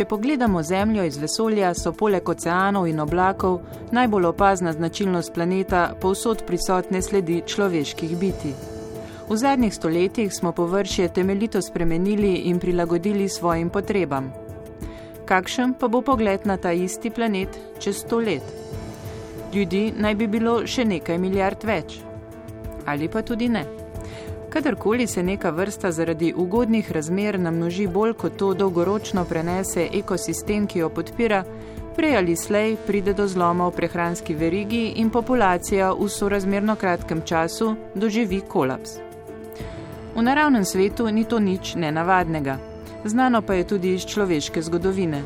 Če pogledamo Zemljo iz vesolja, so poleg oceanov in oblakov najbolj opazna značilnost planeta povsod prisotne sledi človeških bitij. V zadnjih stoletjih smo površje temeljito spremenili in prilagodili svojim potrebam. Kakšen pa bo pogled na ta isti planet čez 100 let? Ljudi naj bi bilo še nekaj milijard več. Ali pa tudi ne. Kadarkoli se neka vrsta zaradi ugodnih razmer namnoži bolj kot to dolgoročno prenese ekosistem, ki jo podpira, prej ali slej pride do zloma v prehranski verigi in populacija v sorazmerno kratkem času doživi kolaps. V naravnem svetu ni to nič nenavadnega. Znano pa je tudi iz človeške zgodovine.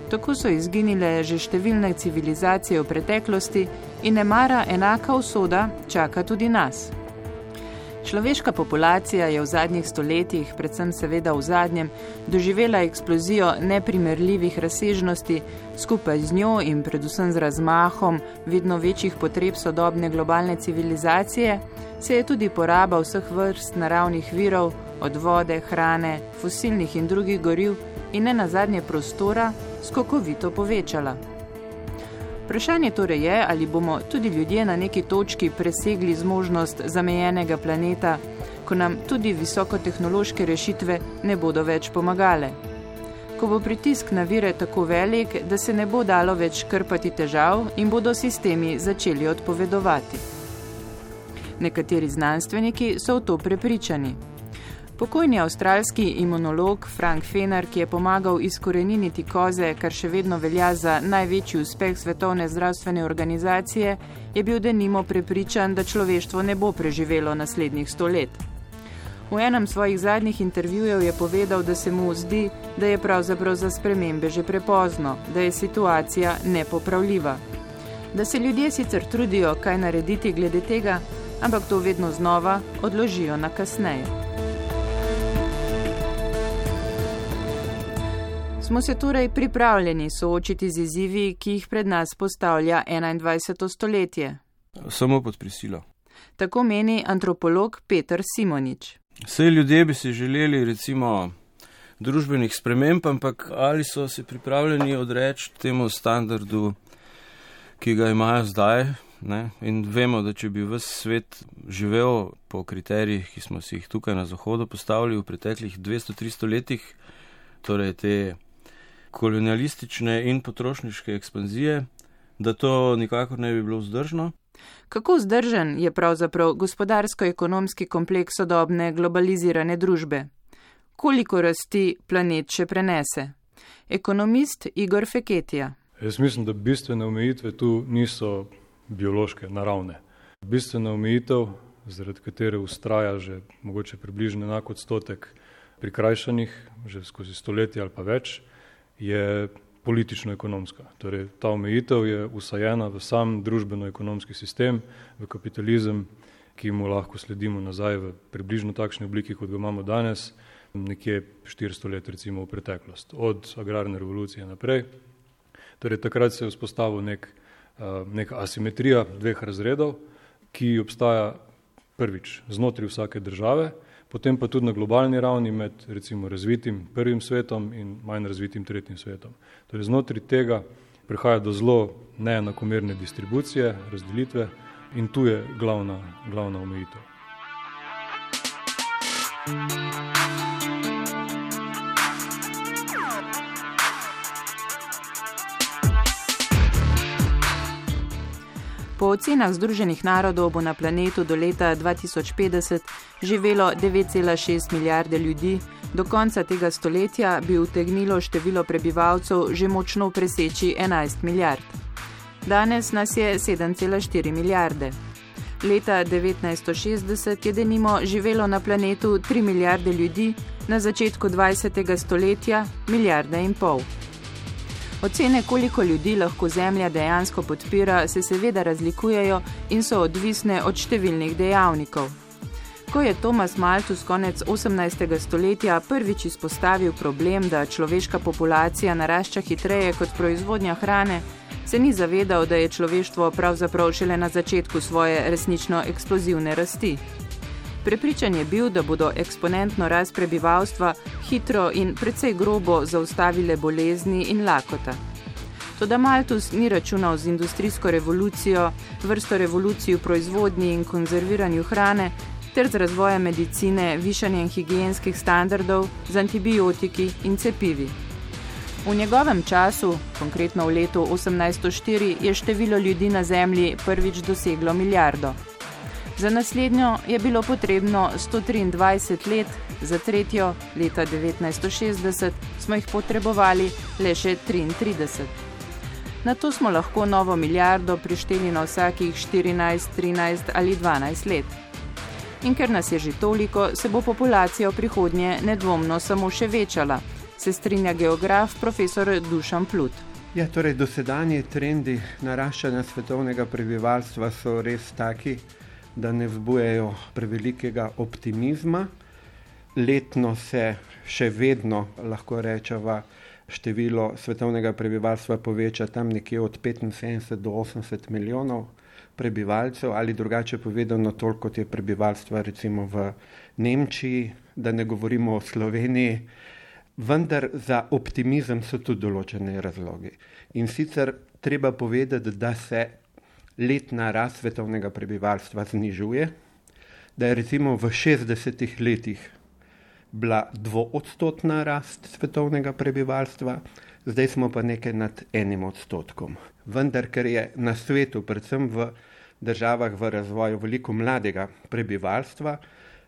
Tako so izginile že številne civilizacije v preteklosti in nemara enaka usoda čaka tudi nas. Človeška populacija je v zadnjih stoletjih, predvsem seveda v zadnjem, doživela eksplozijo neprimerljivih razsežnosti, skupaj z njo in predvsem z razmahom vedno večjih potreb sodobne globalne civilizacije, se je tudi poraba vseh vrst naravnih virov, od vode, hrane, fosilnih in drugih goriv in nenazadnje prostora skokovito povečala. Vprašanje torej je, ali bomo tudi ljudje na neki točki presegli zmožnost zamejenega planeta, ko nam tudi visokotehnološke rešitve ne bodo več pomagale. Ko bo pritisk na vire tako velik, da se ne bo dalo več krpati težav in bodo sistemi začeli odpovedovati. Nekateri znanstveniki so v to prepričani. Pokojni avstralski imunolog Frank Fenar, ki je pomagal izkoreniniti koze, kar še vedno velja za največji uspeh Svetovne zdravstvene organizacije, je bil denimo prepričan, da človeštvo ne bo preživelo naslednjih 100 let. V enem svojih zadnjih intervjujev je povedal, da se mu zdi, da je pravzaprav za spremembe že prepozno, da je situacija nepopravljiva. Da se ljudje sicer trudijo kaj narediti glede tega, ampak to vedno znova odložijo na kasneje. Smo se torej pripravljeni soočiti z izzivi, ki jih pred nas postavlja 21. stoletje? Samo pod prisilo. Tako meni antropolog Peter Simonič. Saj ljudje bi si želeli recimo družbenih sprememb, ampak ali so se pripravljeni odreči temu standardu, ki ga imajo zdaj, ne? In vemo, da če bi ves svet živel po kriterijih, ki smo si jih tukaj na Zahodu postavili v preteklih 200-300 letih, torej te kolonialistične in potrošniške ekspanzije, da to nikakor ne bi bilo vzdržno. Kako vzdržen je pravzaprav gospodarsko-ekonomski kompleks sodobne globalizirane družbe? Koliko rasti planet še prenese? Ekonomist Igor Feketija. Jaz mislim, da bistvene omejitve tu niso biološke, naravne. Bistvena omejitev, zaradi katere ustraja že mogoče približno enak odstotek prikrajšanih, že skozi stoletja ali pa več, je politično-ekonomska. Torej, ta omejitev je usajena v sam družbeno-ekonomski sistem, v kapitalizem, ki mu lahko sledimo nazaj v približno takšni obliki, kot ga imamo danes, nekje 400 let recimo v preteklost, od agrarne revolucije naprej. Torej, takrat se je vzpostavil neka asimetrija dveh razredov, ki obstaja prvič znotraj vsake države, potem pa tudi na globalni ravni med recimo razvitim prvim svetom in manj razvitim tretjim svetom. Torej, znotraj tega prihaja do zelo neenakomerne distribucije, razdelitve in tu je glavna omejitev. Po ocenah Združenih narodov bo na planetu do leta 2050 živelo 9,6 milijarde ljudi, do konca tega stoletja bi utegnilo število prebivalcev že močno preseči 11 milijard. Danes nas je 7,4 milijarde. Leta 1960 je denimo živelo na planetu 3 milijarde ljudi, na začetku 20. stoletja 1,5 milijarde. Ocene, koliko ljudi lahko Zemlja dejansko podpira, se seveda razlikujejo in so odvisne od številnih dejavnikov. Ko je Thomas Malthus konec 18. stoletja prvič izpostavil problem, da človeška populacija narašča hitreje kot proizvodnja hrane, se ni zavedal, da je človeštvo pravzaprav šele na začetku svoje resnično eksplozivne rasti. Prepričan je bil, da bodo eksponentno rast prebivalstva hitro in precej grobo zaustavile bolezni in lakota. Toda Malthus ni računal z industrijsko revolucijo, vrsto revolucij v proizvodnji in konzerviranju hrane, ter z razvojem medicine, višanjem higienskih standardov, z antibiotiki in cepivi. V njegovem času, konkretno v letu 1804, je število ljudi na Zemlji prvič doseglo 1 milijardo. Za naslednjo je bilo potrebno 123 let, za tretjo, leta 1960, smo jih potrebovali le še 33. Nato smo lahko novo milijardo prišteli na vsakih 14, 13 ali 12 let. In ker nas je že toliko, se bo populacija v prihodnje nedvomno samo še večala, se strinja geograf profesor Dušan Plut. Ja, torej dosedanji trendi naraščanja svetovnega prebivalstva so res taki, da ne vzbujajo prevelikega optimizma. Letno se še vedno, lahko rečeva, število svetovnega prebivalstva poveča tam nekje od 75 do 80 milijonov prebivalcev, ali drugače povedano toliko, kot je prebivalstva recimo v Nemčiji, da ne govorimo o Sloveniji. Vendar za optimizem so tudi določene razlogi. In sicer treba povedati, da se letna rast svetovnega prebivalstva znižuje, da je recimo v 60 letih bila 2-odstotna rast svetovnega prebivalstva, zdaj smo pa nekaj nad 1%. Vendar, ker je na svetu, predvsem v državah v razvoju, veliko mladega prebivalstva,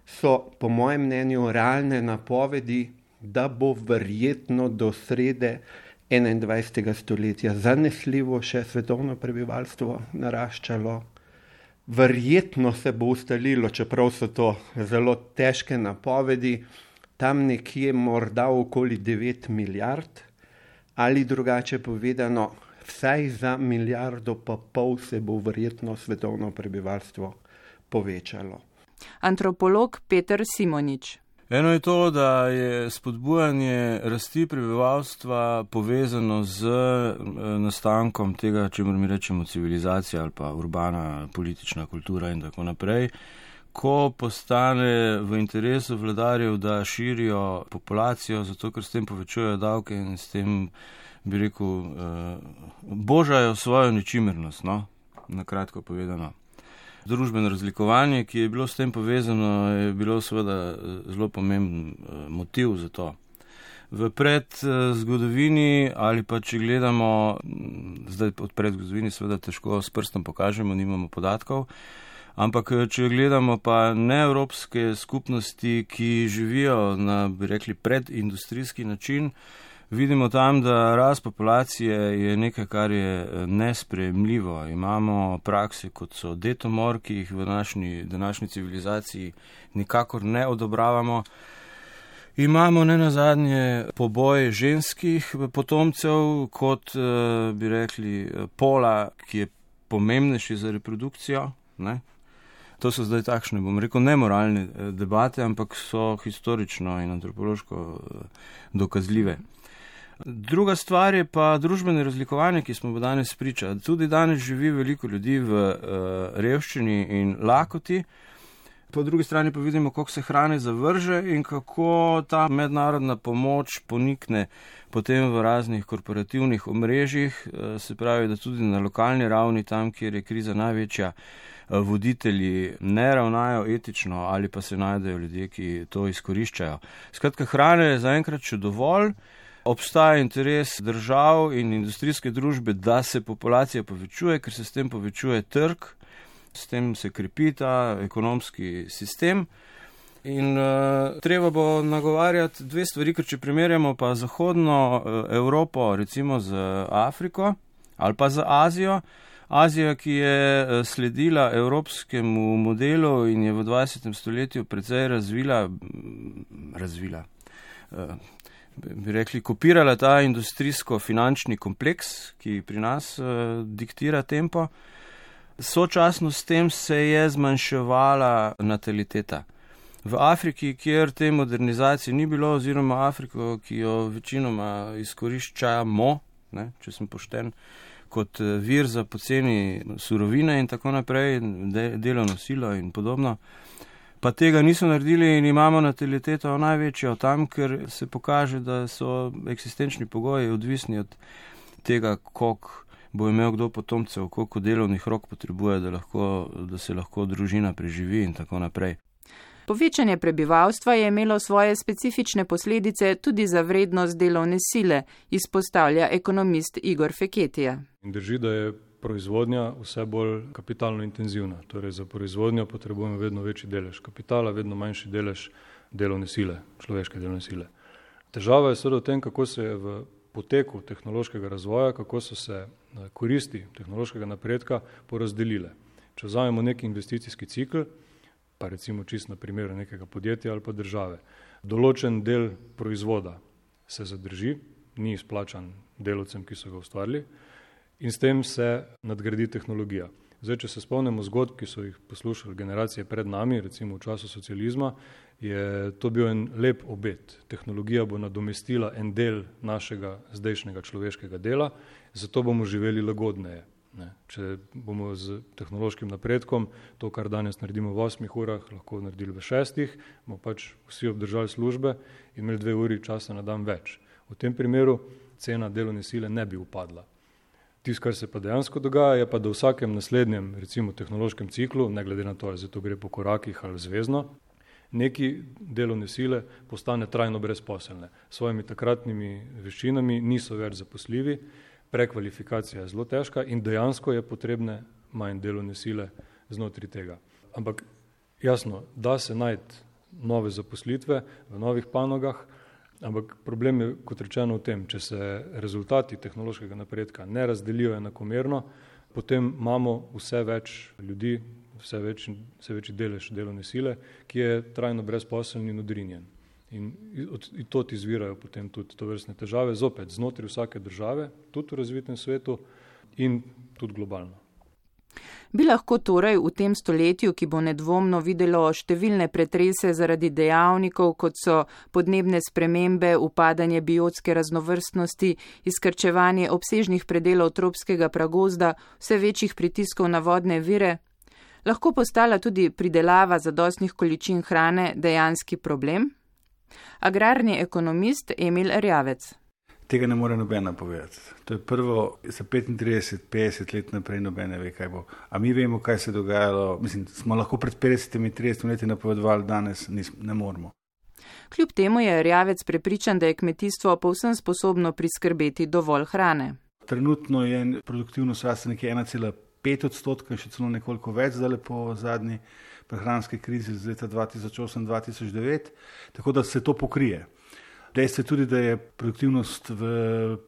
so po mojem mnenju realne napovedi, da bo verjetno do srede 21. stoletja zanesljivo še svetovno prebivalstvo naraščalo. Verjetno se bo ustalilo, čeprav so to zelo težke napovedi, tam nekje morda okoli 9 milijard, ali drugače povedano, vsaj za 1,5 milijardo se bo verjetno svetovno prebivalstvo povečalo. Antropolog Peter Simonič. Eno je to, da je spodbujanje rasti prebivalstva povezano z nastankom tega, čemur mi rečemo civilizacija ali pa urbana politična kultura in tako naprej. Ko postane v interesu vladarjev, da širijo populacijo, zato ker s tem povečujejo davke in s tem, bi rekel, božajo svojo ničimernost, no? Na kratko povedano. Družbeno razlikovanje, ki je bilo s tem povezano, je bilo seveda zelo pomemben motiv za to. V predzgodovini ali pa če gledamo, zdaj od predzgodovini seveda težko s prstom pokažemo, nimamo podatkov, ampak če gledamo pa neevropske skupnosti, ki živijo na, bi rekli, predindustrijski način, vidimo tam, da rast populacije je nekaj, kar je nesprejemljivo. Imamo prakse, kot so detomor, ki jih v današnji civilizaciji nikakor ne odobravamo. Imamo nenazadnje poboj ženskih potomcev, kot bi rekli pola, ki je pomembnejši za reprodukcijo, ne? To so zdaj takšne, bom rekel, nemoralne debate, ampak so historično in antropološko dokazljive. Druga stvar je pa družbeno razlikovanje, ki smo danes priča. Tudi danes živi veliko ljudi v revščini in lakoti. Po drugi strani pa vidimo, koliko se hrane zavrže in kako ta mednarodna pomoč ponikne potem v raznih korporativnih omrežjih. Se pravi, da tudi na lokalni ravni, tam, kjer je kriza največja, voditelji ne ravnajo etično ali pa se najdejo ljudje, ki to izkoriščajo. Skratka, hrane je zaenkrat še dovolj. Obstaja interes držav in industrijske družbe, da se populacija povečuje, ker se s tem povečuje trg, s tem se krepi ta ekonomski sistem. In treba bo nagovarjati dve stvari, ker če primerjamo pa zahodno Evropo recimo z Afriko ali pa z Azijo, Azija, ki je sledila evropskemu modelu in je v 20. stoletju precej razvila, bi rekli, kopirala ta industrijsko-finančni kompleks, ki pri nas diktira tempo. Sočasno s tem se je zmanjševala nataliteta. V Afriki, kjer te modernizacije ni bilo, oziroma Afriko, ki jo večinoma izkoriščamo, če sem pošten, kot vir za poceni surovine in tako naprej, delovno silo in podobno, pa tega niso naredili in imamo nataliteto največjo tam, ker se pokaže, da so eksistenčni pogoji odvisni od tega, koliko bo imel kdo potomcev, koliko delovnih rok potrebuje, da se lahko družina preživi in tako naprej. Povečanje prebivalstva je imelo svoje specifične posledice tudi za vrednost delovne sile, izpostavlja ekonomist Igor Feketija. Drži, da je proizvodnja vse bolj kapitalno intenzivna. Torej za proizvodnjo potrebujemo vedno večji delež kapitala, vedno manjši delež delovne sile, človeške delovne sile. Težava je seveda v tem, kako se je v poteku tehnološkega razvoja, kako so se koristi tehnološkega napredka porazdelile. Če vzamemo neki investicijski cikl, pa recimo čisto na primeru nekega podjetja ali pa države, določen del proizvoda se zadrži, ni izplačan delavcem, ki so ga ustvarili, in s tem se nadgradi tehnologija. Zdaj, če se spomnimo zgodb, ki so jih poslušali generacije pred nami, recimo v času socializma, je to bil en lep obet. Tehnologija bo nadomestila en del našega zdajšnjega človeškega dela, zato bomo živeli lagodneje. Če bomo z tehnološkim napredkom to, kar danes naredimo v 8 urah, lahko naredili v 6, bomo pač vsi obdržali službe in imeli 2 uri časa na dan več. V tem primeru cena delovne sile ne bi upadla. Tisto, kar se pa dejansko dogaja, je pa, da v vsakem naslednjem, recimo tehnološkem ciklu, ne glede na to, ali zato gre po korakih ali zvezno, neki delovne sile postane trajno brezposelne. S svojimi takratnimi veščinami niso več zaposljivi, prekvalifikacija je zelo težka in dejansko je potrebne manj delovne sile znotraj tega. Ampak jasno, da se najti nove zaposlitve v novih panogah, ampak problem je, kot rečeno, v tem, če se rezultati tehnološkega napredka ne razdelijo enakomerno, potem imamo vse več ljudi, vse večji delež delovne sile, ki je trajno brezposeln in odrinjen. In tod izvirajo potem tudi tovrstne težave, zopet znotraj vsake države, tudi v razvitem svetu in tudi globalno. Bi lahko torej v tem stoletju, ki bo nedvomno videlo številne pretrese zaradi dejavnikov, kot so podnebne spremembe, upadanje biotske raznovrstnosti, izkrčevanje obsežnih predelov tropskega pragozda, vse večjih pritiskov na vodne vire, lahko postala tudi pridelava zadostnih količin hrane dejanski problem? Agrarni ekonomist Emil Erjavec. Tega ne more nobena povedati. To je prvo, za 35-50 let naprej nobene ve, kaj bo. A mi vemo, kaj se je dogajalo, smo lahko pred 50-30 leti napovedovali, danes ne moremo. Kljub temu je Erjavec prepričan, da je kmetijstvo povsem sposobno priskrbeti dovolj hrane. Trenutno je produktivnost rasta nekje 1,5%, še celo nekoliko več zdaj po zadnji prehranske krizi z leta 2008-2009, tako da se to pokrije. Dejstvo je tudi, da je produktivnost v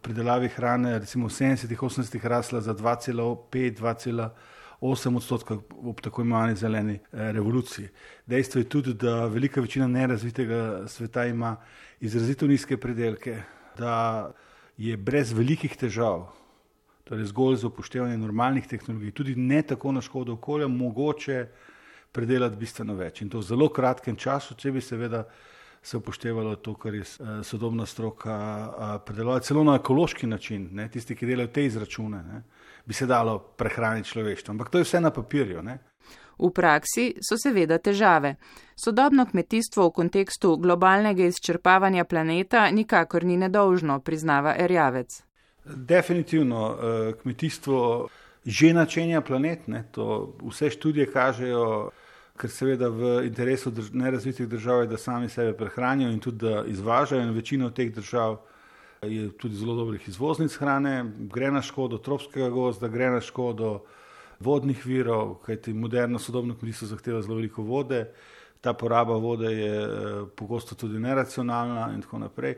pridelavi hrane recimo v 70-80 rasla za 2,5-2,8% ob tako imenovani zeleni revoluciji. Dejstvo je tudi, da velika večina nerazvitega sveta ima izrazito nizke pridelke, da je brez velikih težav, torej zgolj z upoštevanjem normalnih tehnologij, tudi ne tako na škodo okolja, mogoče predelati bistveno več. In to v zelo kratkem času, če bi seveda se upoštevalo to, kar je sodobna stroka predelovala, celo na ekološki način, tisti, ki delajo te izračune, bi se dalo prehraniti človeštvo. Ampak to je vse na papirju. V praksi so seveda težave. Sodobno kmetijstvo v kontekstu globalnega izčrpavanja planeta nikakor ni nedolžno, priznava Erjavec. Definitivno kmetijstvo že načenja planet, to vse študije kažejo, ker seveda v interesu nerazvitih držav je, da sami sebe prehranijo in tudi da izvažajo, in večina od teh držav je tudi zelo dobrih izvoznic hrane, gre na škodo tropskega gozda, gre na škodo vodnih virov, kajti moderno sodobno kmetijstvo zahteva zelo veliko vode, ta poraba vode je pogosto tudi neracionalna in tako naprej.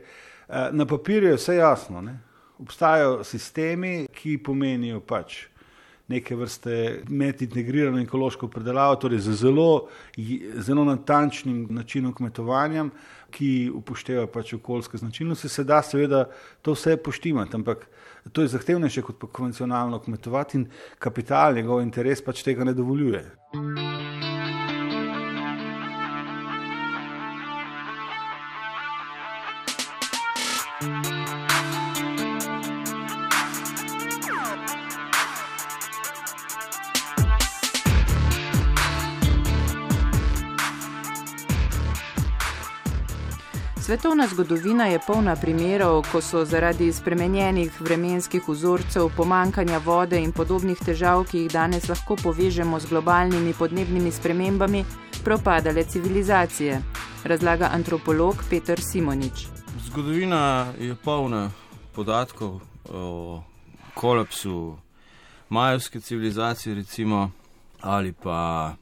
Na papirju je vse jasno, Obstajajo sistemi, ki pomenijo pač neke vrste medintegrirano ekološko predelavo, torej z zelo natančnim načinom kmetovanja, ki upošteva pač okoljske značilnosti, se da seveda to vse poštimati, ampak to je zahtevnejše kot pa konvencionalno kmetovati in kapital, njegov interes pač tega ne dovoljuje. Svetovna zgodovina je polna primerov, ko so zaradi spremenjenih vremenskih vzorcev, pomanjkanja vode in podobnih težav, ki jih danes lahko povežemo z globalnimi podnebnimi spremembami, propadale civilizacije, razlaga antropolog Peter Simonič. Zgodovina je polna podatkov o kolapsu majevske civilizacije, recimo, ali pa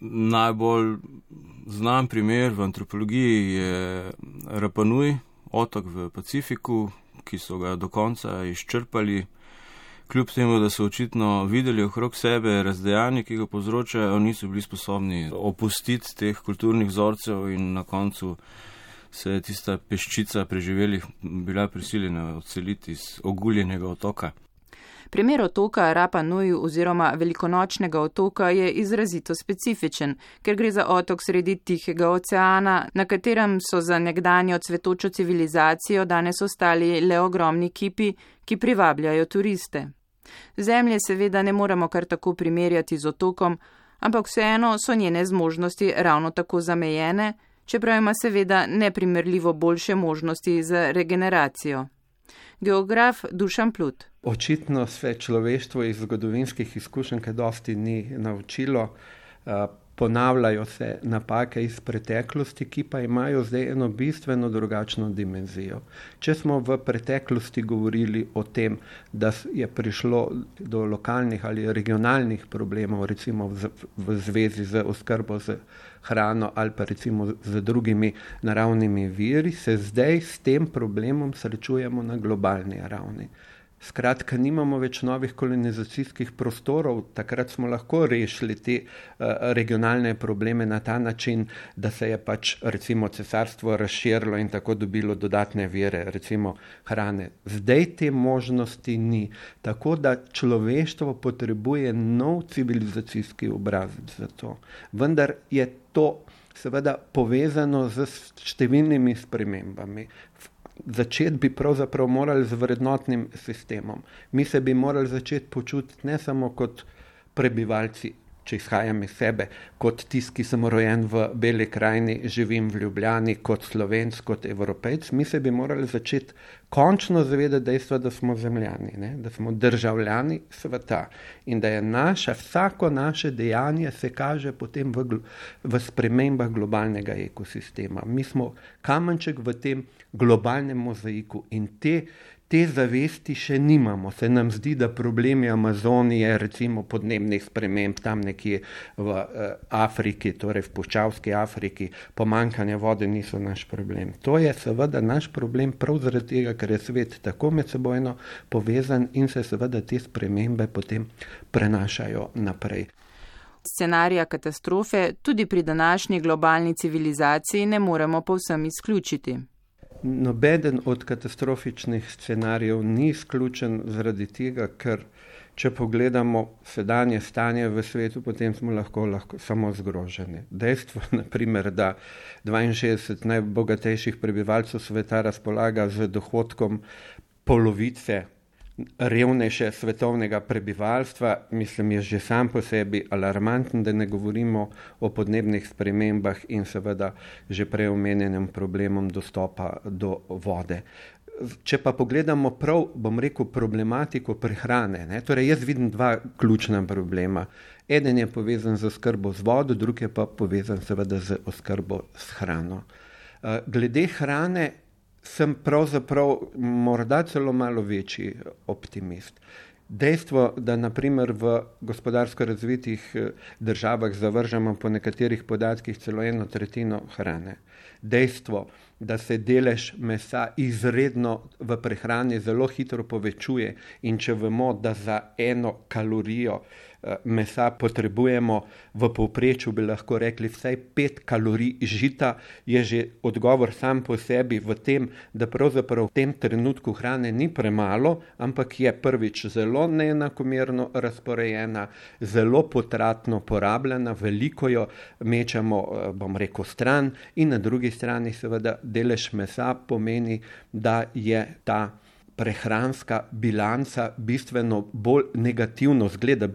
najbolj znan primer v antropologiji je Rapa Nui, otok v Pacifiku, ki so ga do konca izčrpali, kljub temu, da so očitno videli okrog sebe razdejanje, ki ga povzročajo, niso bili sposobni opustiti teh kulturnih vzorcev in na koncu se je tista peščica preživelih bila prisiljena odseliti iz oguljenega otoka. Primer otoka Rapa Nui oziroma velikonočnega otoka je izrazito specifičen, ker gre za otok sredi Tihega oceana, na katerem so za nekdanjo cvetočo civilizacijo danes ostali le ogromni kipi, ki privabljajo turiste. Zemlje seveda ne moremo kar tako primerjati z otokom, ampak vseeno so njene zmožnosti ravno tako zamejene, čeprav ima seveda neprimerljivo boljše možnosti za regeneracijo. Geograf Dušan Plut. Očitno se človeštvo iz zgodovinskih izkušenj kaj dosti ni naučilo. Ponavljajo se napake iz preteklosti, ki pa imajo zdaj eno bistveno drugačno dimenzijo. Če smo v preteklosti govorili o tem, da je prišlo do lokalnih ali regionalnih problemov, recimo v zvezi z oskrbo z hrano ali pa recimo z drugimi naravnimi viri, se zdaj s tem problemom srečujemo na globalni ravni. Skratka, nimamo več novih kolonizacijskih prostorov, takrat smo lahko rešili te regionalne probleme na ta način, da se je pač recimo cesarstvo razširilo in tako dobilo dodatne vire, recimo hrane. Zdaj te možnosti ni, tako da človeštvo potrebuje nov civilizacijski obrazec za to. Vendar je to seveda povezano z številnimi spremembami. Začeti bi pravzaprav morali z vrednotnim sistemom. Mi se bi morali začeti počutiti ne samo kot prebivalci, če izhajam iz sebe, kot tisti, ki sem rojen v Beli krajini, živim v Ljubljani, kot Slovenc, kot Evropejc. Mi se bi morali začeti končno zavedati dejstva, da smo zemljani, ne? Da smo državljani sveta in da je vsako naše dejanje se kaže potem v spremembah globalnega ekosistema. Mi smo kamenček v tem globalnem mozaiku in te zavesti še nimamo. Se nam zdi, da problemi Amazonije, recimo podnebnih sprememb tam nekje v Afriki, torej v puščavski Afriki, pomanjkanje vode niso naš problem. To je seveda naš problem prav zaradi tega, ker je svet tako medsebojno povezan in se seveda te spremembe potem prenašajo naprej. Scenarija katastrofe tudi pri današnji globalni civilizaciji ne moremo povsem izključiti. Nobeden od katastrofičnih scenarijev ni izključen zaradi tega, ker če pogledamo sedanje stanje v svetu, potem smo lahko samo zgroženi. Dejstvo, naprimer, da 62 najbogatejših prebivalcev sveta razpolaga z dohodkom polovice revnejše svetovnega prebivalstva, mislim, je že sam po sebi alarmanten, da ne govorimo o podnebnih spremembah in seveda že prej omenjenem problemom dostopa do vode. Če pa pogledamo prav, bom rekel, problematiko prehrane, torej jaz vidim dva ključna problema. Eden je povezan z oskrbo z vodo, drugi je pa povezan seveda z oskrbo s hrano. Glede hrane sem pravzaprav morda celo malo večji optimist. Dejstvo, da naprimer v gospodarsko razvitih državah zavržemo po nekaterih podatkih celo 1/3 hrane. Dejstvo, da se delež mesa izredno v prehrani zelo hitro povečuje in če vemo, da za 1 kalorijo mesa potrebujemo v povprečju, bi lahko rekli, vsaj 5 kalorij žita, je že odgovor sam po sebi v tem, da pravzaprav v tem trenutku hrane ni premalo, ampak je prvič zelo neenakomerno razporejena, zelo potratno porabljena, veliko jo mečemo, bom rekel, stran in na drugi strani seveda delež mesa pomeni, da je ta prehranska bilanca bistveno bolj negativno zgleda,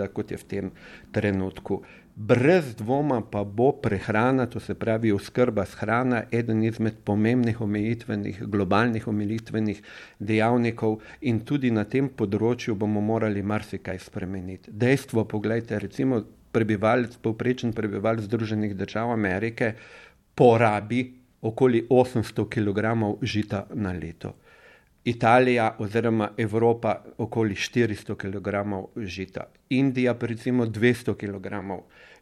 kot je v tem trenutku. Brez dvoma pa bo prehrana, to se pravi oskrba s hrana, eden izmed pomembnih globalnih omejitvenih dejavnikov in tudi na tem področju bomo morali marsikaj spremeniti. Dejstvo, poglejte, recimo povprečen prebivalec Združenih držav Amerike porabi okoli 800 kg žita na leto. Italija oziroma Evropa okoli 400 kg žita. Indija pa recimo 200 kg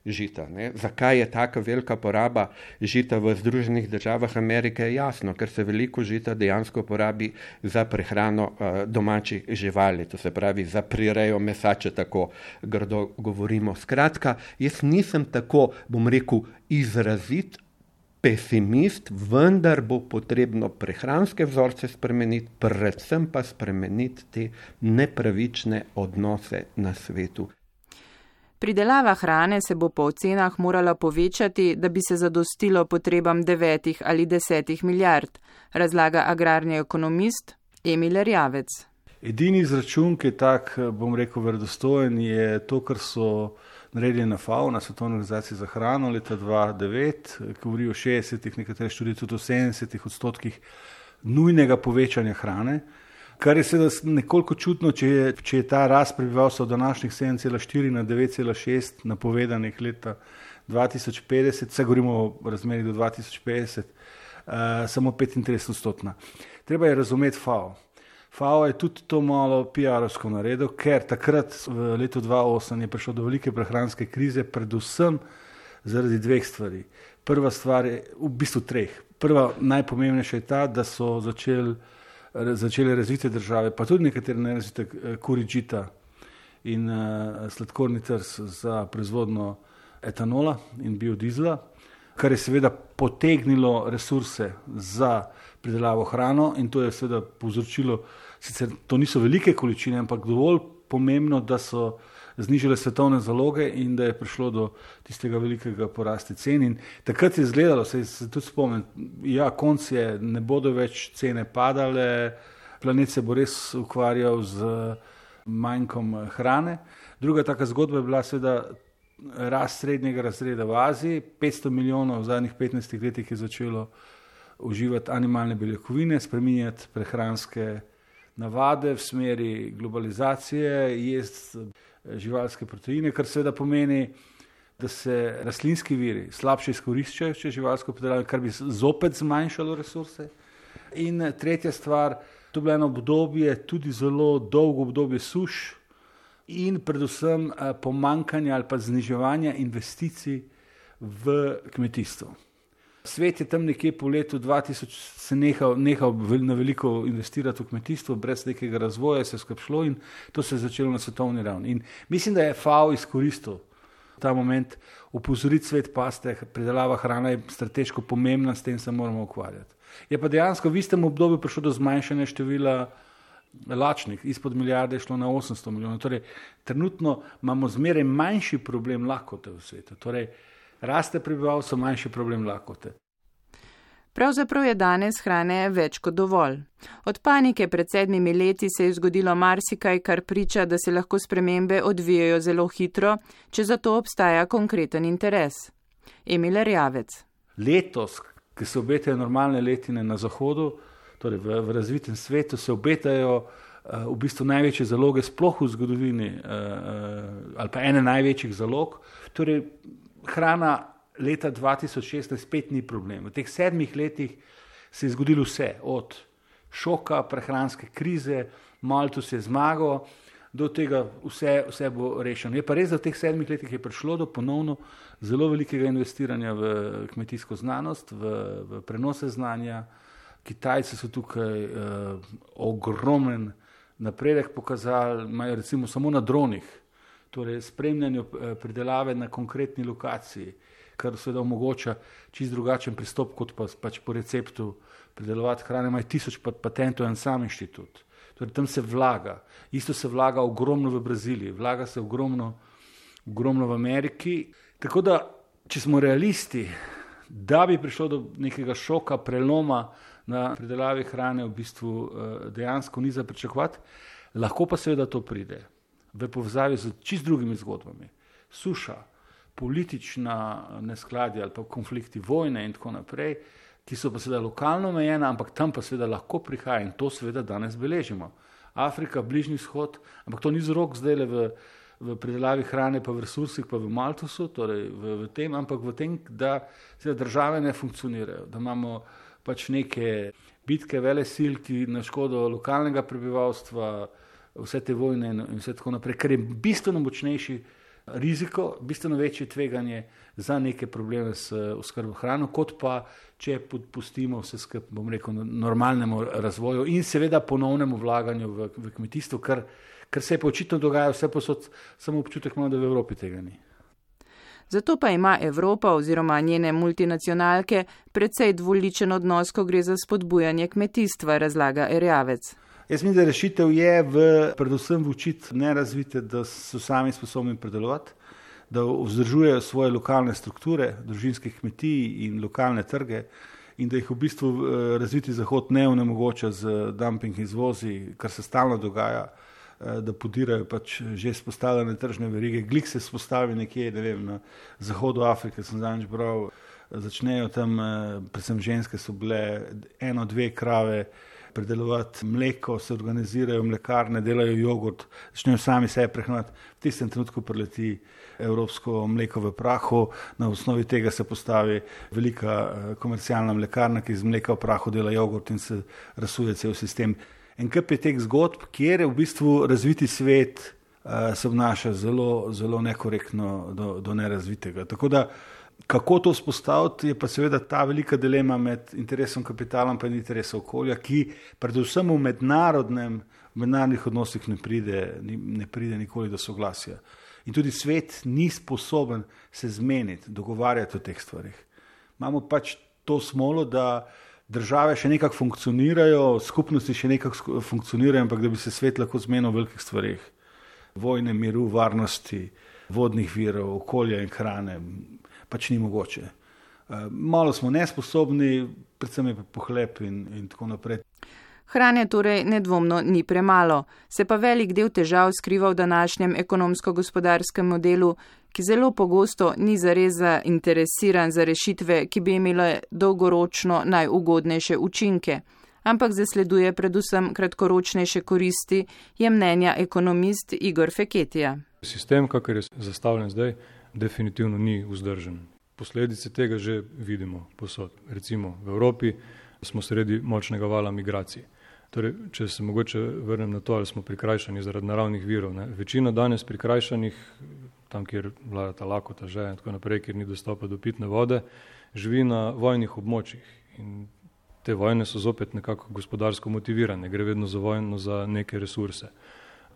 žita. Ne? Zakaj je taka velika poraba žita v Združenih državah Amerike? Jasno, ker se veliko žita dejansko porabi za prehrano domačih živali, to se pravi za prirejo mesa, če tako grdo govorimo. Skratka, jaz nisem tako, bom rekel, izrazit pesimist, vendar bo potrebno prehranske vzorce spremeniti, predvsem pa spremeniti te nepravične odnose na svetu. Pridelava hrane se bo po ocenah morala povečati, da bi se zadostilo potrebam 9 ali 10 milijard, razlaga agrarni ekonomist Emil Erjavec. Edini izračun, ki je tak, bom rekel, verodostojen, je to, kar so naredili na FAO, na Svetovni organizaciji za hrano leta 2009, ki govori o 60, nekatere študije tudi o 70% nujnega povečanja hrane, kar je seveda nekoliko čudno, če je ta rast prebivalstva od današnjih 7,4 na 9,6 napovedanih leta 2050, vse govorimo o razmerih do 2050, samo 35%. Treba je razumeti FAO. FAO je tudi to malo PR-ovsko naredil, ker takrat v letu 2008 je prišlo do velike prehranske krize, predvsem zaradi 2 stvari. Prva stvar je v bistvu 3. Prva najpomembnejša je ta, da so začele razvite države, pa tudi nekatere nerazvite, kuriti žita in sladkorni trs za proizvodnjo etanola in biodizla, kar je seveda potegnilo resurse za pridelavo hrano in to je seveda povzročilo, sicer to niso velike količine, ampak dovolj pomembno, da so znižale svetovne zaloge in da je prišlo do tistega velikega porasti cen. In takrat je izgledalo, se tudi spomnim, ja, konc je, ne bodo več cene padale, planet se bo res ukvarjal z manjkom hrane. Druga taka zgodba je bila seveda rast srednjega razreda v Aziji. 500 milijonov v zadnjih 15 letih je začelo uživati animalne beljakovine, spreminjati prehranske navade v smeri globalizacije, jesti živalske proteine, kar seveda pomeni, da se rastlinski viri slabše izkoriščajo, če živalsko pridelavo, kar bi zopet zmanjšalo resurse. In tretja stvar, to je bilo eno obdobje, tudi zelo dolgo obdobje suš in predvsem pomanjkanja ali pa zniževanja investicij v kmetijstvo. Svet je tam nekje po letu 2000 se nehal na veliko investirati v kmetijstvo, brez nekega razvoja se je skupaj šlo in to se je začelo na svetovni ravni. In mislim, da je FAO izkoristil ta moment opozoriti svet, paste, pridelava hrana je strateško pomembna, s tem se moramo ukvarjati. Je pa dejansko v istem obdobju prišlo do zmanjšanja števila lačnih, izpod milijarde je šlo na 800 milijonov. Torej, trenutno imamo zmeraj manjši problem lakote v svetu. Torej, raste prebivalstvo, manjši problem lakote. Pravzaprav je danes hrane več kot dovolj. Od panike pred 7 leti se je zgodilo marsikaj, kar priča, da se lahko spremembe odvijajo zelo hitro, če za to obstaja konkreten interes. Emil Erjavec. Letos, ki se obetajo normalne letine na zahodu, torej v razvitem svetu, se obetajo v bistvu največje zaloge sploh v zgodovini, ali pa ene največjih zalog. Torej, hrana leta 2016 spet ni problem. V teh 7 letih se je zgodilo vse, od šoka, prehranske krize, Malthus je zmagal, do tega vse bo rešeno. Je pa res, da v teh 7 letih je prišlo do ponovno zelo velikega investiranja v kmetijsko znanost, v prenose znanja. Kitajci so tukaj ogromen napredek pokazali, imajo recimo samo na dronih, torej spremljanju pridelave na konkretni lokaciji, kar seveda omogoča čist drugačen pristop, kot pač po receptu pridelovati hrane. Imajo 1000 patentov en sam inštitut. Torej tam se vlaga. Isto se vlaga ogromno v Braziliji, vlaga se ogromno v Ameriki. Tako da, če smo realisti, da bi prišlo do nekega šoka, preloma na pridelavi hrane, v bistvu dejansko ni za pričakovati, lahko pa seveda to pride v povezavi z čist drugimi zgodbami. Suša, politična neskladja ali pa konflikti, vojne in tako naprej, ki so pa seveda lokalno omejena, ampak tam pa seveda lahko prihaja in to seveda danes beležimo. Afrika, Bližnji vzhod, ampak to ni vzrok zdaj le v pridelavi hrane, pa v resursih, pa v Malthusu, torej v tem, ampak v tem, da seveda države ne funkcionirajo, da imamo pač neke bitke velesil, ki na škodo lokalnega prebivalstva, vse te vojne in vse tako naprej, ker je bistveno močnejši riziko, bistveno večje tveganje za neke probleme s oskrbo hrano, kot pa če pustimo vse skupaj, bom rekel, normalnemu razvoju in seveda ponovnemu vlaganju v kmetijstvo, kar se je pa očitno dogaja vse posod, samo občutek imamo, da v Evropi tega ni. Zato pa ima Evropa oziroma njene multinacionalke precej dvoličen odnos, ko gre za spodbujanje kmetijstva, razlaga Erjavec. Jaz mislim, da rešitev je predvsem v učiti nerazvite, da so sami sposobni predelovati, da vzdržujejo svoje lokalne strukture, družinskih kmetij in lokalne trge in da jih v bistvu razviti Zahod ne onemogoča z dumping izvozi, kar se stalno dogaja, da podirajo pač že spostavljene tržne verige. Glik se spostavi nekje, ne vem, na zahodu Afrike, sem zadnjič bral, začnejo tam, predvsem ženske so bile 1-2 krave predelovati mleko, se organizirajo mlekarne, delajo jogurt, začnejo sami sebe prehraniti. V tistem trenutku prileti evropsko mleko v prahu, na osnovi tega se postavi velika komercialna mlekarna, ki iz mleka v prahu dela jogurt in se razsuje cel sistem. En kup je teh zgodb, kjer je v bistvu razviti svet se obnaša zelo, zelo nekorektno do nerazvitega. Tako da, kako to vzpostaviti, je pa seveda ta velika dilema med interesom kapitala in interesom okolja, ki predvsem v mednarodnih odnosih ne pride nikoli do soglasja. In tudi svet ni sposoben se zmeniti, dogovarjati o teh stvarih. Imamo pač to smolo, da države še nekako funkcionirajo, skupnosti še nekako funkcionirajo, ampak da bi se svet lahko zmenil v velikih stvarih. Vojne, miru, varnosti, vodnih virov, okolja in hrane, pač ni mogoče. Malo smo nesposobni, predvsem je pa pohlep in tako naprej. Hrane torej nedvomno ni premalo, se pa velik del težav skriva v današnjem ekonomsko-gospodarskem modelu, ki zelo pogosto ni zares zainteresiran za rešitve, ki bi imele dolgoročno najugodnejše učinke, ampak zasleduje predvsem kratkoročnejše koristi, je mnenja ekonomist Igor Feketija. Sistem, kakor je zastavljen zdaj, definitivno ni vzdržen. Posledice tega že vidimo posod. Recimo v Evropi smo sredi močnega vala migracij. Torej, če se mogoče vrnem na to, ali smo prikrajšani zaradi naravnih virov. Večina danes prikrajšanih, tam, kjer vlada ta lakota, že in tako naprej, kjer ni dostopa do pitne vode, živi na vojnih območjih. In te vojne so zopet nekako gospodarsko motivirane, gre vedno za vojno za neke resurse.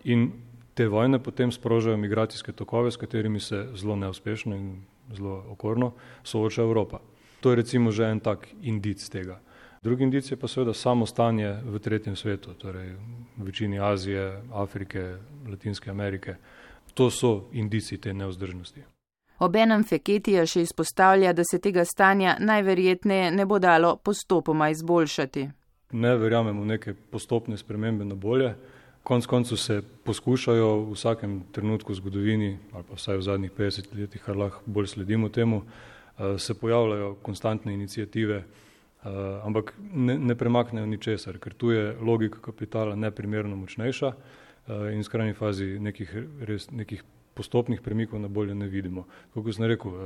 In te vojne potem sprožajo migracijske tokove, s katerimi se zelo neuspešno in zelo okorno sooča Evropa. To je recimo že en tak indic tega. Drugi indic je pa seveda samo stanje v tretjem svetu, torej v večini Azije, Afrike, Latinske Amerike. To so indici te nevzdržnosti. Obenem Feketija še izpostavlja, da se tega stanja najverjetneje ne bo dalo postopoma izboljšati. Ne verjamem v neke postopne spremembe na bolje. Konec koncev se poskušajo v vsakem trenutku v zgodovini, ali pa vsaj v zadnjih 50 letih, kar lahko bolj sledimo temu, se pojavljajo konstantne iniciative, ampak ne premaknejo ničesar, ker tu je logika kapitala neprimerno močnejša in v skrajni fazi nekih postopnih premikov na bolje ne vidimo. Kot sem rekel,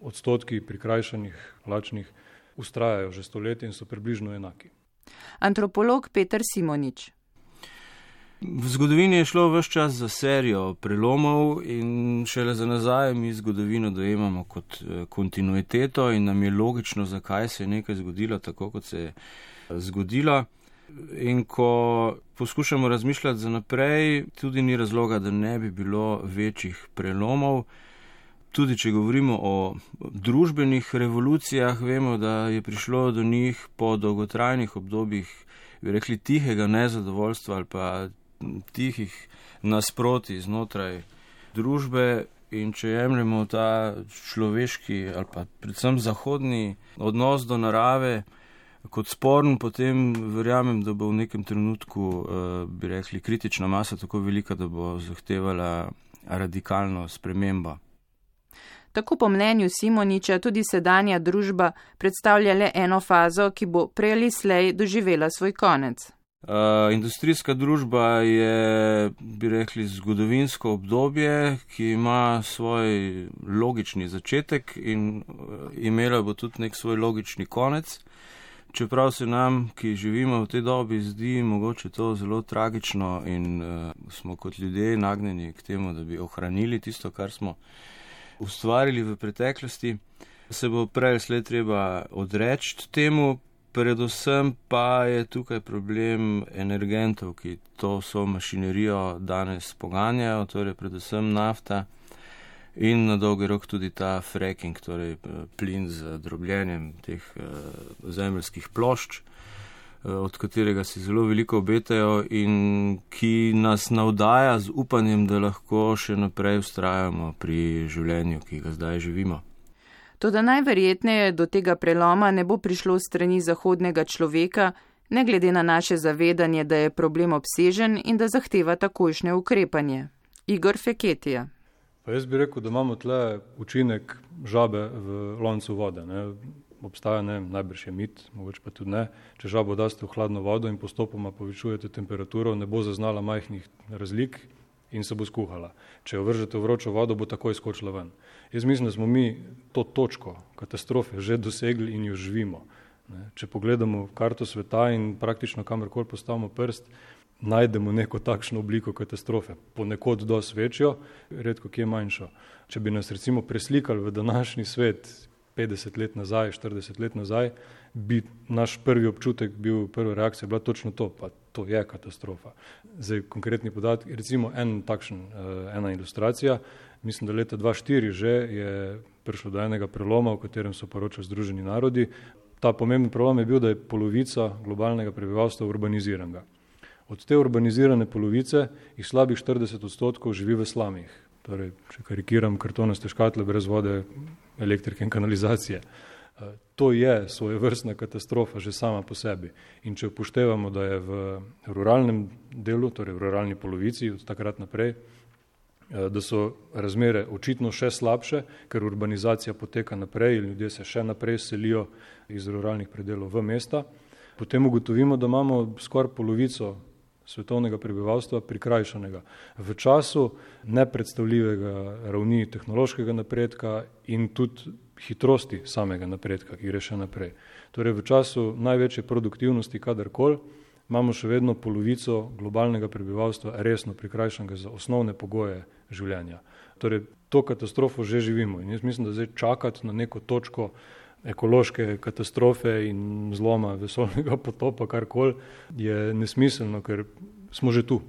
odstotki prikrajšanih, lačnih ustrajajo že stoletja in so približno enaki. Antropolog Peter Simonič. V zgodovini je šlo ves čas za serijo prelomov in šele za nazaj mi zgodovino dojemamo kot kontinuiteto in nam je logično, zakaj se je nekaj zgodilo tako, kot se je zgodilo. In ko poskušamo razmišljati za naprej, tudi ni razloga, da ne bi bilo večjih prelomov. Tudi če govorimo o družbenih revolucijah, vemo, da je prišlo do njih po dolgotrajnih obdobjih, bi rekli, tihega nezadovoljstva ali pa tihih nasproti znotraj družbe. In če jemljemo ta človeški ali pa predvsem zahodni odnos do narave kot sporen, potem verjamem, da bo v nekem trenutku, bi rekli, kritična masa tako velika, da bo zahtevala radikalno spremembo. Tako po mnenju Simoniča tudi sedanja družba predstavlja le eno fazo, ki bo prej ali slej doživela svoj konec. Industrijska družba je, bi rekli, zgodovinsko obdobje, ki ima svoj logični začetek in imela bo tudi nek svoj logični konec. Čeprav se nam, ki živimo v tej dobi, zdi mogoče to zelo tragično in smo kot ljudje nagnjeni k temu, da bi ohranili tisto, kar smo ustvarili v preteklosti, se bo prej slej treba odreči temu. Predvsem pa je tukaj problem energentov, ki to so mašinerijo danes poganjajo, torej predvsem nafta in na dolgi rok tudi ta fracking, torej plin z drobljenjem teh zemeljskih plošč, od katerega si zelo veliko obetajo in ki nas navdaja z upanjem, da lahko še naprej vztrajamo pri življenju, ki ga zdaj živimo. Toda najverjetneje do tega preloma ne bo prišlo strani zahodnega človeka, ne glede na naše zavedanje, da je problem obsežen in da zahteva takojšnje ukrepanje. Igor Feketija. Pa jaz bi rekel, da imamo tle učinek žabe v loncu vode. Ne? Obstaja, najbrž je mit, mogoče pa tudi ne. Če žabo daste v hladno vodo in postopoma povečujete temperaturo, ne bo zaznala majhnih razlik in se bo skuhala. Če jo vržete v vročo vodo, bo takoj skočila ven. Jaz mislim, da smo mi to točko katastrofe že dosegli in jo živimo. Če pogledamo karto sveta in praktično kamorkoli postavimo prst, najdemo neko takšno obliko katastrofe. Ponekod dosti večjo, redko kje manjšo. Če bi nas recimo preslikali v današnji svet 50 let nazaj, 40 let nazaj, bi naš prvi občutek bil, prva reakcija bila točno to, pa to je katastrofa. Zdaj konkretni podatki, recimo ena ilustracija, mislim, da leta 2004 že je prišlo do enega preloma, o katerem so poročali Združeni narodi. Ta pomemben prelom je bil, da je polovica globalnega prebivalstva urbaniziranega. Od te urbanizirane polovice jih slabih 40% živi v slamih. Torej, če karikiram, kartonaste škatle brez vode, elektrike in kanalizacije. To je svojevrstna katastrofa že sama po sebi. In če upoštevamo, da je v ruralnem delu, torej v ruralni polovici od takrat naprej, da so razmere očitno še slabše, ker urbanizacija poteka naprej in ljudje se še naprej selijo iz ruralnih predelov v mesta, potem ugotovimo, da imamo skoraj polovico svetovnega prebivalstva prikrajšanega v času nepredstavljivega ravni tehnološkega napredka in tudi hitrosti samega napredka, ki gre še naprej. Torej v času največje produktivnosti kadarkoli imamo še vedno polovico globalnega prebivalstva resno prikrajšanega za osnovne pogoje življenja. Torej to katastrofo že živimo in jaz mislim, da zdaj čakati na neko točko ekološke katastrofe in zloma vesoljnega potopa, karkoli, je nesmiselno, ker smo že tu.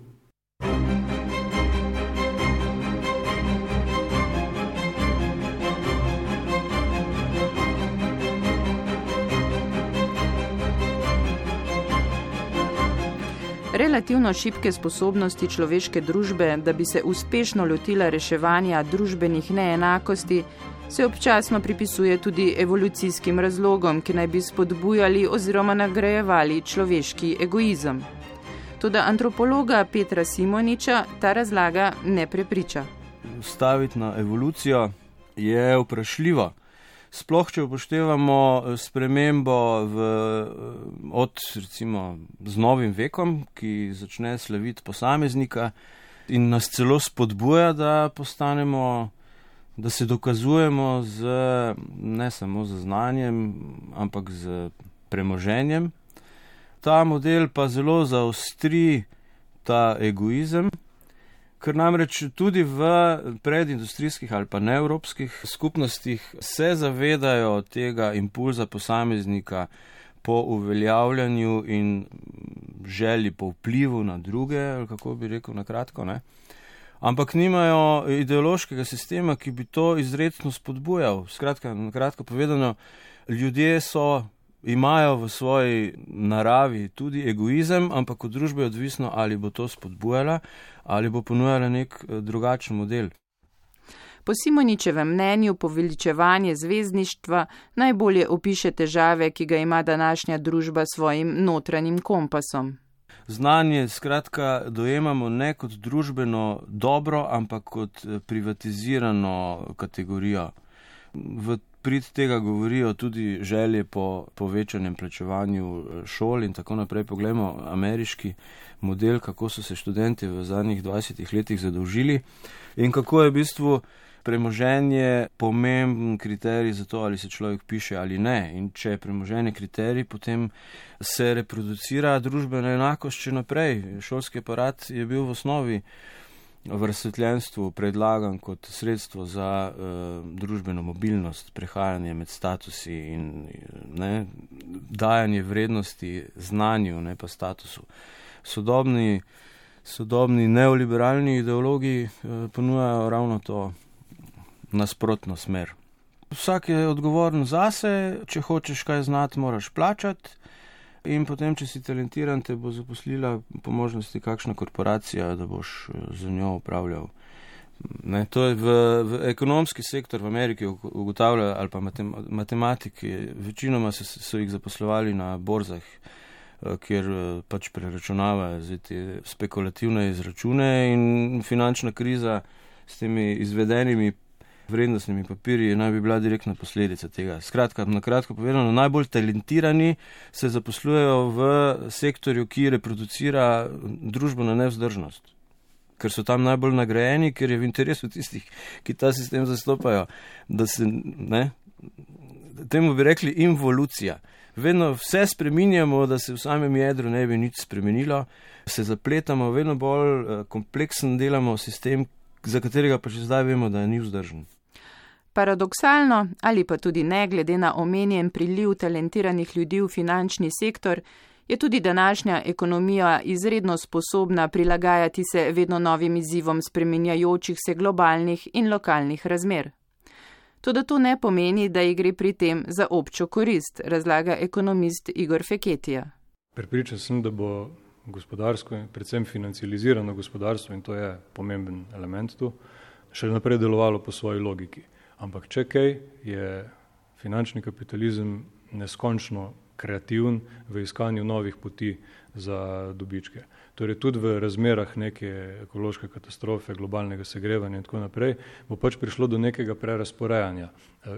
Relativno šibke sposobnosti človeške družbe, da bi se uspešno lotila reševanja družbenih neenakosti, se občasno pripisuje tudi evolucijskim razlogom, ki naj bi spodbujali oziroma nagrajevali človeški egoizem. Toda antropologa Petra Simoniča ta razlaga ne prepriča. Staviti na evolucijo je vprašljivo. Sploh, če upoštevamo spremembo od recimo z novim vekom, ki začne slaviti posameznika in nas celo spodbuja, da postanemo, da se dokazujemo ne samo z znanjem, ampak z premoženjem. ta model pa zelo zaostri ta egoizem, ker namreč tudi v predindustrijskih ali pa neevropskih skupnostih se zavedajo tega impulza posameznika po uveljavljanju in želji po vplivu na druge, ali kako bi rekel na kratko, ne? Ampak nimajo ideološkega sistema, ki bi to izrecno spodbujal. Skratka, na kratko povedano, ljudje imajo v svoji naravi tudi egoizem, ampak od družbe je odvisno, ali bo to spodbujala ali bo ponujala nek drugačen model. Po Simoničevem mnenju poveličevanje zvezdništva najbolje opiše težave, ki ga ima današnja družba s svojim notranjim kompasom. Znanje skratka dojemamo ne kot družbeno dobro, ampak kot privatizirano kategorijo. V prid tega govorijo tudi želje po povečanem plačevanju šol in tako naprej. Poglejmo ameriški model, kako so se študenti v zadnjih 20 letih zadolžili in kako je v bistvu premoženje pomemben kriterij za to, ali se človek piše ali ne. In če je premoženje kriterij, potem se reproducira družbena enakost še naprej. Šolski aparat je bil v osnovi v razsvetljenstvu predlagan kot sredstvo za družbeno mobilnost, prehajanje med statusi in dajanje vrednosti znanju, ne pa statusu. Sodobni neoliberalni ideologi ponujajo ravno to nasprotno smer. Vsak je odgovoren zase, če hočeš kaj znati, moraš plačati in potem, če si talentiran, te bo zaposlila po možnosti kakšna korporacija, da boš za njo upravljal. Ne, to je v ekonomski sektor v Ameriki ugotavlja, ali pa matematiki, večinoma so jih zaposlovali na borzah, kjer pač preračunavajo te spekulativne izračune in finančna kriza s temi izvedenimi vrednostnimi papirji naj bi bila direktna posledica tega. Skratka, na kratko povedano, najbolj talentirani se zaposlujejo v sektorju, ki reproducira družbeno nevzdržnost. Ker so tam najbolj nagrajeni, ker je v interesu tistih, ki ta sistem zastopajo, da se, temu bi rekli involucija. Vedno vse spreminjamo, da se v samem jedru ne bi nič spremenilo, se zapletamo, vedno bolj kompleksen delamo sistem, za katerega pa že zdaj vemo, da ni vzdržen. Paradoksalno ali pa tudi ne glede na omenjen priliv talentiranih ljudi v finančni sektor, je tudi današnja ekonomija izredno sposobna prilagajati se vedno novim izzivom spreminjajočih se globalnih in lokalnih razmer. Toda to ne pomeni, da ji gre pri tem za občo korist, razlaga ekonomist Igor Feketija. Prepričan sem, da bo gospodarsko in predvsem financializirano gospodarstvo, in to je pomemben element tu, še naprej delovalo po svoji logiki. Ampak če kaj, je finančni kapitalizem neskončno kreativen v iskanju novih poti za dobičke. Torej tudi v razmerah neke ekološke katastrofe, globalnega segrevanja in tako naprej, bo pač prišlo do nekega prerasporejanja,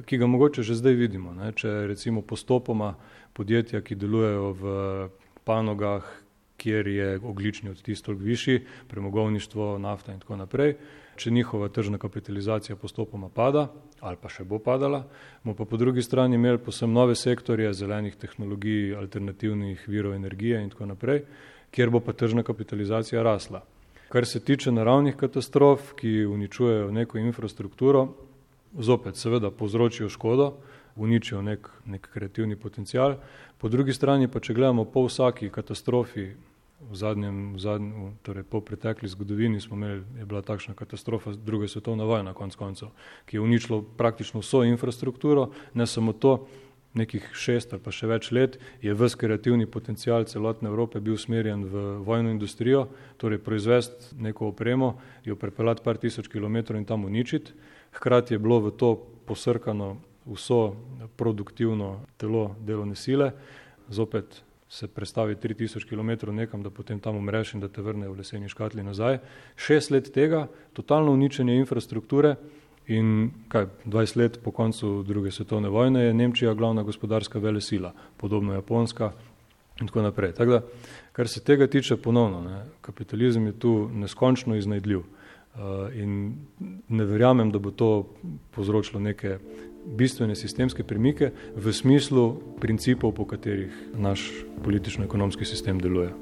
ki ga mogoče že zdaj vidimo. Če recimo postopoma podjetja, ki delujejo v panogah, kjer je ogljični odtis toliko višji, premogovništvo, nafta in tako naprej, če njihova tržna kapitalizacija postopoma pada, ali pa še bo padala, bomo pa po drugi strani imeli posebno nove sektorje zelenih tehnologij, alternativnih virov energije in tako naprej, kjer bo pa tržna kapitalizacija rasla. Kar se tiče naravnih katastrof, ki uničujejo neko infrastrukturo, zopet seveda povzročijo škodo, uničijo nek kreativni potencial. Po drugi strani pa, če gledamo po vsaki katastrofi, torej po pretekli zgodovini je bila takšna katastrofa druga svetovna vojna konec koncev, ki je uničilo praktično vso infrastrukturo, ne samo to, nekih 6 ali pa še več let je ves kreativni potencial celotne Evrope bil usmerjen v vojno industrijo, torej proizvesti neko opremo, jo prepeljati par tisoč kilometrov in tam uničiti. Hkrati je bilo v to posrkano vso produktivno telo delovne sile, zopet se prestavi 3000 km nekam, da potem tam umreš in da te vrne v leseni škatli nazaj. 6 let tega, totalno uničenje infrastrukture in 20 let po koncu druge svetovne vojne je Nemčija glavna gospodarska velesila, podobno Japonska in tako naprej. Tako da, kar se tega tiče ponovno, kapitalizem je tu neskončno iznajdljiv. In ne verjamem, da bo to povzročilo neke bistvene sistemske premike v smislu principov, po katerih naš politično-ekonomski sistem deluje.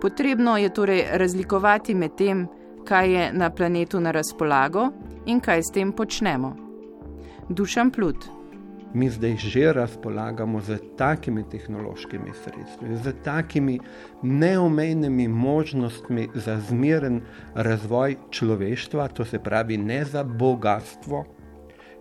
Potrebno je torej razlikovati med tem, kaj je na planetu na razpolago in kaj s tem počnemo. Dušan Plut. Mi zdaj že razpolagamo z takimi tehnološkimi sredstvi, z takimi neomejnimi možnostmi za zmeren razvoj človeštva, to se pravi ne za bogatstvo.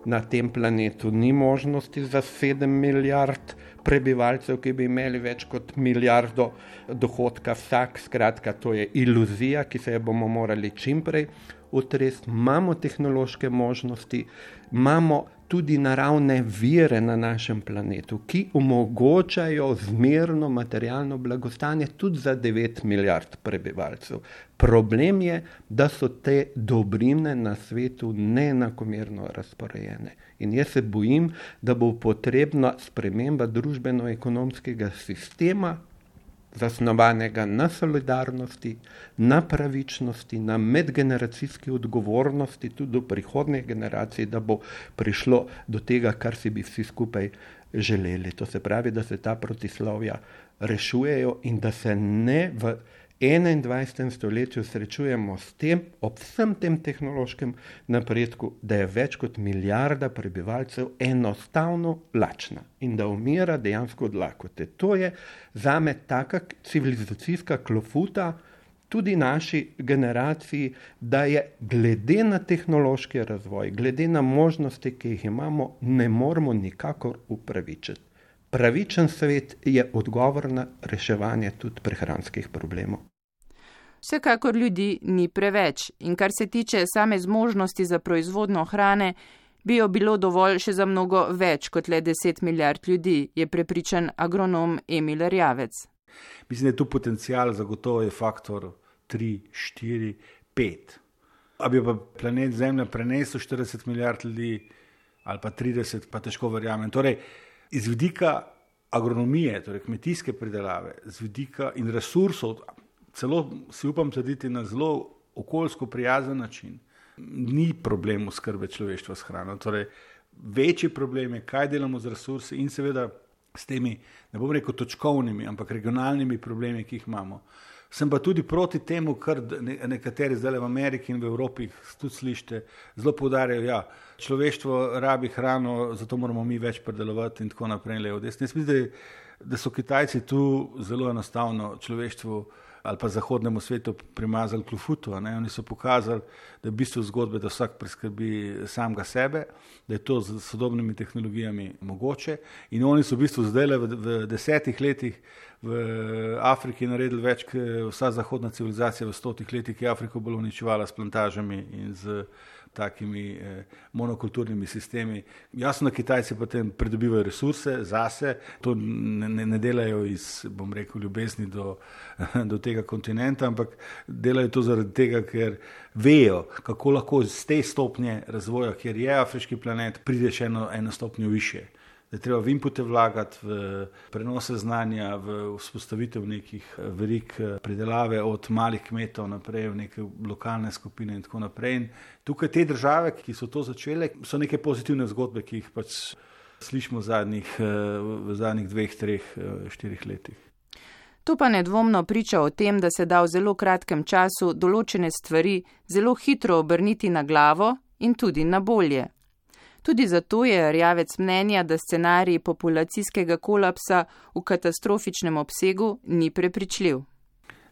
Na tem planetu ni možnosti za 7 milijard prebivalcev, ki bi imeli več kot milijardo dohodka vsak. Skratka, to je iluzija, ki se je bomo morali čimprej utresti. Imamo tehnološke možnosti, imamo tudi naravne vire na našem planetu, ki omogočajo zmerno materialno blagostanje tudi za 9 milijard prebivalcev. Problem je, da so te dobrine na svetu neenakomerno razporejene. In jaz se bojim, da bo potrebna sprememba družbeno-ekonomskega sistema, zasnovanega na solidarnosti, na pravičnosti, na medgeneracijski odgovornosti tudi do prihodnjih generacij, da bo prišlo do tega, kar si bi vsi skupaj želeli. To se pravi, da se ta protislovja rešujejo in da se ne v 21. stoletju srečujemo s tem, ob vsem tem tehnološkem napredku, da je več kot milijarda prebivalcev enostavno lačna in da umira dejansko od lakote. To je zame taka civilizacijska klofuta tudi naši generaciji, da je glede na tehnološki razvoj, glede na možnosti, ki jih imamo, ne moremo nikakor upravičiti. Pravičen svet je odgovor na reševanje tudi prehranskih problemov. Vsekakor ljudi ni preveč in kar se tiče same zmožnosti za proizvodnjo hrane, bi jo bilo dovolj še za mnogo več kot le 10 milijard ljudi, je prepričan agronom Emil Erjavec. Mislim, da je tu potencial zagotovo je faktor 3, 4, 5. A bi pa planet Zemlja prenesel 40 milijard ljudi ali pa 30, pa težko verjamem. Torej, iz vidika agronomije, torej kmetijske pridelave, z vidika in resursov, celo si upam trditi na zelo okoljsko prijazen način, ni problem oskrbe človeštva s hrano. Torej, večji problem je, kaj delamo z resursi in seveda s temi, ne bom rekel točkovnimi, ampak regionalnimi problemi, ki jih imamo. Sem pa tudi proti temu, kar nekateri zdaj v Ameriki in v Evropi tudi slišite, zelo poudarjajo, ja, človeštvo rabi hrano, zato moramo mi več predelovati in tako naprej. Jaz mislim, da so Kitajci tu zelo enostavno človeštvu ali pa zahodnemu svetu primazali klofuto. Oni so pokazali, da je v bistvu zgodbe, da vsak preskrbi samega sebe, da je to z sodobnimi tehnologijami mogoče in oni so v bistvu zdaj v 10 letih v Afriki naredili več, vsa zahodna civilizacija v 100 letih, ki je Afriko bolj uničevala s plantažami in z takimi monokulturnimi sistemi. Jasno, da Kitajci potem pridobivajo resurse zase, to ne delajo iz, bom rekel, ljubezni do tega kontinenta, ampak delajo to zaradi tega, ker vejo, kako lahko z te stopnje razvoja, kjer je afriški planet, prideš eno stopnjo više. Da je treba v inpute vlagati, v prenose znanja, v vzpostavitev nekih verig pridelave od malih kmetov naprej v neke lokalne skupine in tako naprej. In tukaj te države, ki so to začele, so neke pozitivne zgodbe, ki jih pač slišimo v zadnjih 2, 3, 4 letih. To pa nedvomno priča o tem, da se da v zelo kratkem času določene stvari zelo hitro obrniti na glavo in tudi na bolje. Tudi zato je Erjavec mnenja, da scenarij populacijskega kolapsa v katastrofičnem obsegu ni prepričljiv.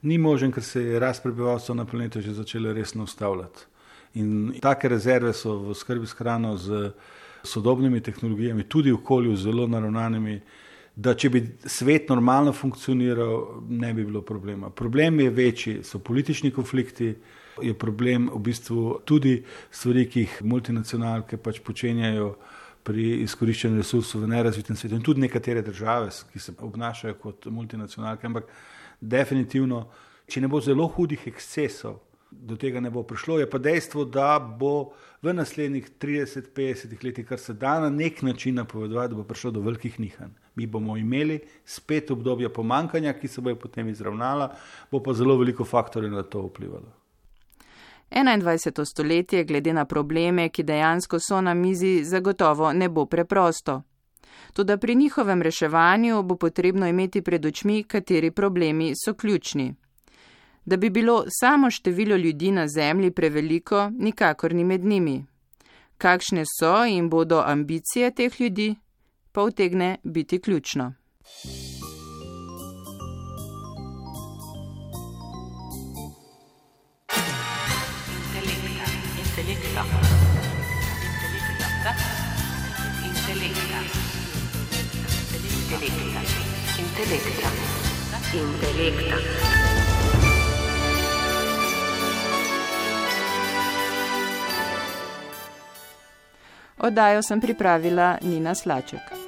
Ni možen, ker se je rast prebivalstva na planetu že začela resno ustavljati. In take rezerve so v skrbi s hrano z sodobnimi tehnologijami, tudi v okolju zelo naravnanimi, da če bi svet normalno funkcioniral, ne bi bilo problema. Problem je večji, so politični konflikti, je problem v bistvu tudi stvari, ki jih multinacionalke pač počenjajo pri izkoriščanju resursov v nerazvitem svetu in tudi nekatere države, ki se obnašajo kot multinacionalke, ampak definitivno, če ne bo zelo hudih ekscesov, do tega ne bo prišlo. Je pa dejstvo, da bo v naslednjih 30-50 letih, kar se da na nek način napovedovati, da bo prišlo do velikih nihanj. Mi bomo imeli spet obdobja pomankanja, ki se bojo potem izravnala, bo pa zelo veliko faktorjev na to vplivalo. 21. stoletje glede na probleme, ki dejansko so na mizi, zagotovo ne bo preprosto. Toda pri njihovem reševanju bo potrebno imeti pred očmi, kateri problemi so ključni. Da bi bilo samo število ljudi na Zemlji preveliko, nikakor ni med njimi. Kakšne so in bodo ambicije teh ljudi, pa utegne biti ključno. Intelekta. Oddajo sem pripravila Nina Slaček.